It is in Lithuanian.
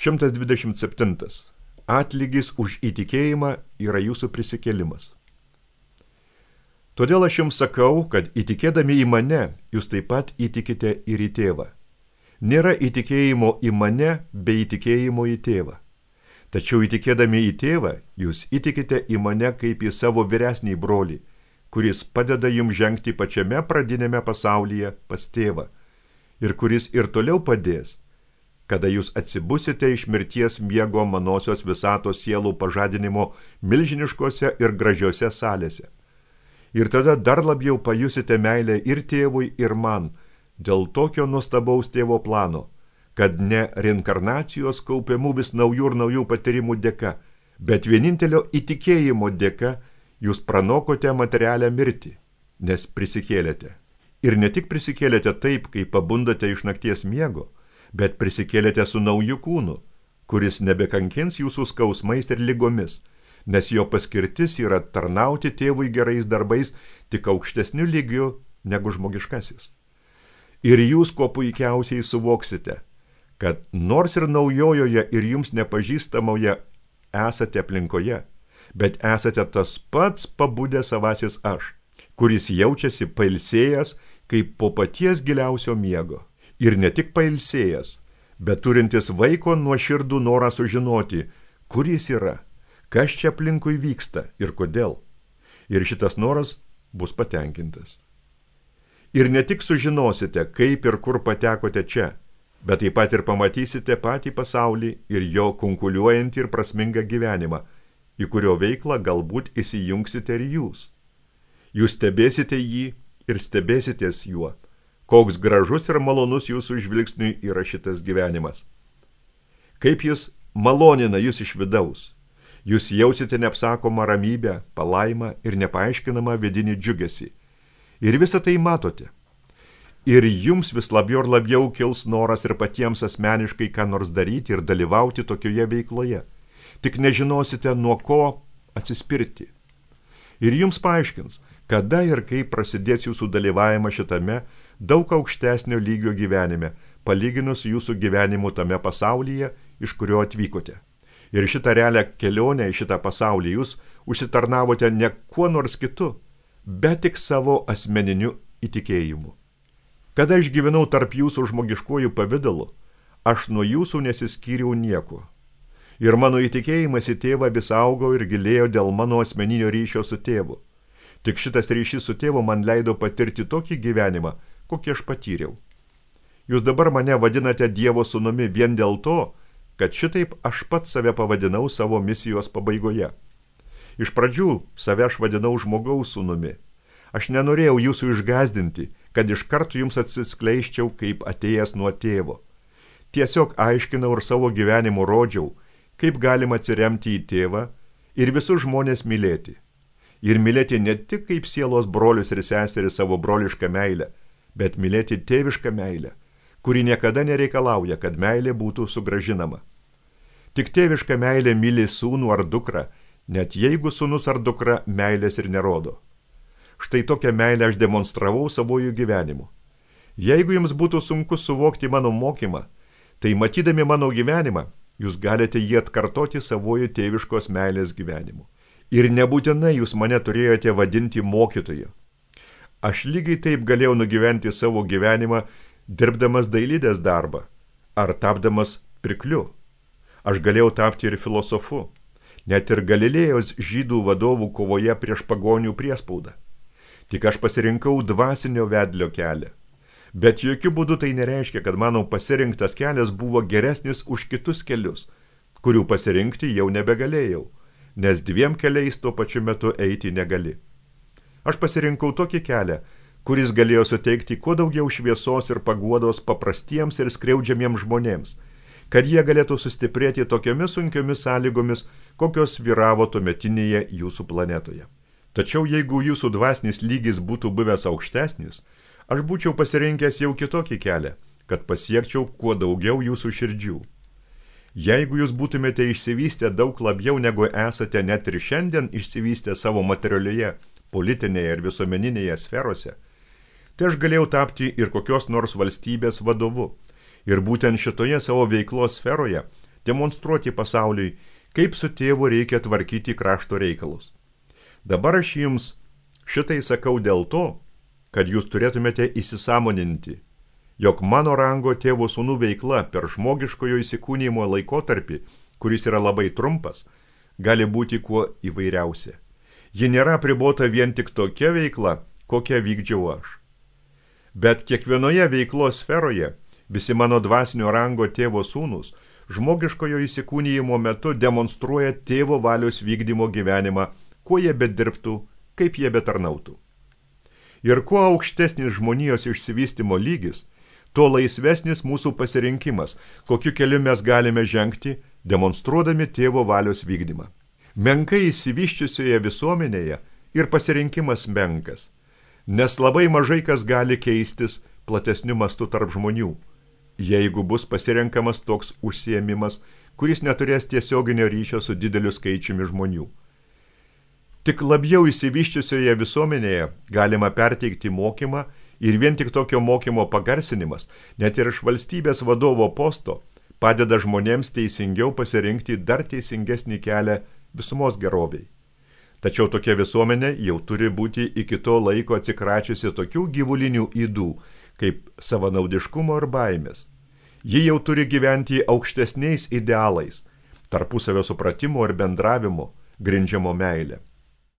127. Atlygis už įtikėjimą yra jūsų prisikėlimas. Todėl aš jums sakau, kad įtikėdami į mane, jūs taip pat įtikite ir į tėvą. Nėra įtikėjimo į mane be įtikėjimo į tėvą. Tačiau įtikėdami į tėvą, jūs įtikite į mane kaip į savo vyresnį brolį, kuris padeda jums žengti pačiame pradinėme pasaulyje pas tėvą ir kuris ir toliau padės, kada jūs atsibusite iš mirties miego manosios visatos sielų pažadinimo milžiniškose ir gražiose salėse. Ir tada dar labiau pajusite meilę ir tėvui, ir man, dėl tokio nuostabaus tėvo plano, kad ne reinkarnacijos kaupiamų vis naujų ir naujų patyrimų dėka, bet vienintelio įtikėjimo dėka jūs pranokote materialią mirtį, nes prisikėlėte. Ir ne tik prisikėlėte taip, kai pabundate iš nakties miego, bet prisikėlėte su nauju kūnu, kuris nebekankins jūsų skausmais ir ligomis, nes jo paskirtis yra tarnauti tėvui gerais darbais tik aukštesniu lygiu negu žmogiškasis. Ir jūs kuo puikiausiai suvoksite, kad nors ir naujojoje ir jums nepažįstamoje esate aplinkoje, bet esate tas pats pabudęs savasis aš, kuris jaučiasi pailsėjęs kaip po paties giliausio miego. Ir ne tik pailsėjęs, bet turintis vaiko nuoširdų norą sužinoti, kur jis yra, kas čia aplinkui vyksta ir kodėl. Ir šitas noras bus patenkintas. Ir ne tik sužinosite, kaip ir kur patekote čia, bet taip pat ir pamatysite patį pasaulį ir jo kunkuliuojantį ir prasmingą gyvenimą, į kurio veiklą galbūt įsijungsite ir jūs. Jūs stebėsite jį ir stebėsitės juo, koks gražus ir malonus jūsų žvilgsniui yra šitas gyvenimas. Kaip jis malonina jūs iš vidaus. Jūs jausite neapsakomą ramybę, palaimą ir nepaaiškinamą vidinį džiugesį. Ir visą tai matote. Ir jums vis labiau ir labiau kils noras ir patiems asmeniškai ką nors daryti ir dalyvauti tokioje veikloje. Tik nežinosite, nuo ko atsispirti. Ir jums paaiškins, kada ir kaip prasidės jūsų dalyvavimas šitame daug aukštesnio lygio gyvenime, palyginus jūsų gyvenimu tame pasaulyje, iš kurio atvykote. Ir šitą realią kelionę į šitą pasaulį jūs užsitarnavote ne kuo nors kitu, bet tik savo asmeniniu įtikėjimu. Kada aš gyvenau tarp jūsų žmogiškojų pavidalu, aš nuo jūsų nesiskyriau nieko. Ir mano įtikėjimas į tėvą vis augo ir gilėjo dėl mano asmeninio ryšio su tėvu. Tik šitas ryšys su tėvu man leido patirti tokį gyvenimą, kokį aš patyriau. Jūs dabar mane vadinate Dievo sūnumi vien dėl to, kad šitaip aš pats save pavadinau savo misijos pabaigoje. Iš pradžių save aš vadinau žmogaus sūnumi. Aš nenorėjau jūsų išgąsdinti, kad iš karto jums atsiskleiščiau kaip atėjęs nuo tėvo. Tiesiog aiškinau ir savo gyvenimu rodžiau, kaip galima atsiremti į tėvą ir visus žmonės mylėti. Ir mylėti ne tik kaip sielos brolius ir seserį savo brolišką meilę, bet mylėti tėvišką meilę, kuri niekada nereikalauja, kad meilė būtų sugrąžinama. Tik tėviška meilė myli sūnų ar dukrą, net jeigu sūnus ar dukra meilės ir nerodo. Štai tokią meilę aš demonstravau savojų gyvenimu. Jeigu jums būtų sunku suvokti mano mokymą, tai matydami mano gyvenimą, jūs galite jį atkartoti savojų tėviškos meilės gyvenimu. Ir nebūtinai jūs mane turėjote vadinti mokytoju. Aš lygiai taip galėjau nugyventi savo gyvenimą, dirbdamas dailidės darbą, ar tapdamas pirkliu. Aš galėjau tapti ir filosofu, net ir Galilėjos žydų vadovų kovoje prieš pagonių priespaudą. Tik aš pasirinkau dvasinio vedlio kelią. Bet jokių būdų tai nereiškia, kad mano pasirinktas kelias buvo geresnis už kitus kelius, kurių pasirinkti jau nebegalėjau, nes dviem keliais tuo pačiu metu eiti negali. Aš pasirinkau tokį kelią, kuris galėjo suteikti kuo daugiau šviesos ir paguodos paprastiems ir skriaudžiamiems žmonėms, kad jie galėtų sustiprėti tokiomis sunkiomis sąlygomis, kokios vyravo tuometinėje jūsų planetoje. Tačiau jeigu jūsų dvasinis lygis būtų buvęs aukštesnis, aš būčiau pasirinkęs jau kitokį kelią, kad pasiekčiau kuo daugiau jūsų širdžių. Jeigu jūs būtumėte išsivystę daug labiau negu esate net ir šiandien išsivystę savo materialioje, politinėje ir visuomeninėje sferose, tai aš galėjau tapti ir kokios nors valstybės vadovu. Ir būtent šitoje savo veiklos sferoje demonstruoti pasauliui, kaip su tėvu reikia tvarkyti krašto reikalus. Dabar aš jums šitai sakau dėl to, kad jūs turėtumėte įsisąmoninti, jog mano rango tėvo sūnų veikla per žmogiškojo įsikūnijimo laikotarpį, kuris yra labai trumpas, gali būti kuo įvairiausia. Ji nėra apribota vien tik tokia veikla, kokią vykdžiau aš. Bet kiekvienoje veiklos sferoje visi mano dvasinio rango tėvo sūnūs žmogiškojo įsikūnijimo metu demonstruoja tėvo valios vykdymo gyvenimą, kuo jie bedirbtų, kaip jie betarnautų. Ir kuo aukštesnis žmonijos išsivystymo lygis, tuo laisvesnis mūsų pasirinkimas, kokiu keliu mes galime žengti, demonstruodami tėvo valios vykdymą. Menkai išsivyščiusioje visuomenėje ir pasirinkimas menkas, nes labai mažai kas gali keistis platesniu mastu tarp žmonių, jeigu bus pasirenkamas toks užsiėmimas, kuris neturės tiesioginio ryšio su dideliu skaičiumi žmonių. Tik labiau išsivyščiusioje visuomenėje galima perteikti mokymą ir vien tik tokio mokymo pagarsinimas, net ir iš valstybės vadovo posto, padeda žmonėms teisingiau pasirinkti dar teisingesnį kelią visumos geroviai. Tačiau tokia visuomenė jau turi būti iki to laiko atsikračiusi tokių gyvulinių ydų, kaip savanaudiškumo ir baimės. Ji jau turi gyventi aukštesniais idealais, tarpusavio supratimo ir bendravimo, grindžiamo meilę.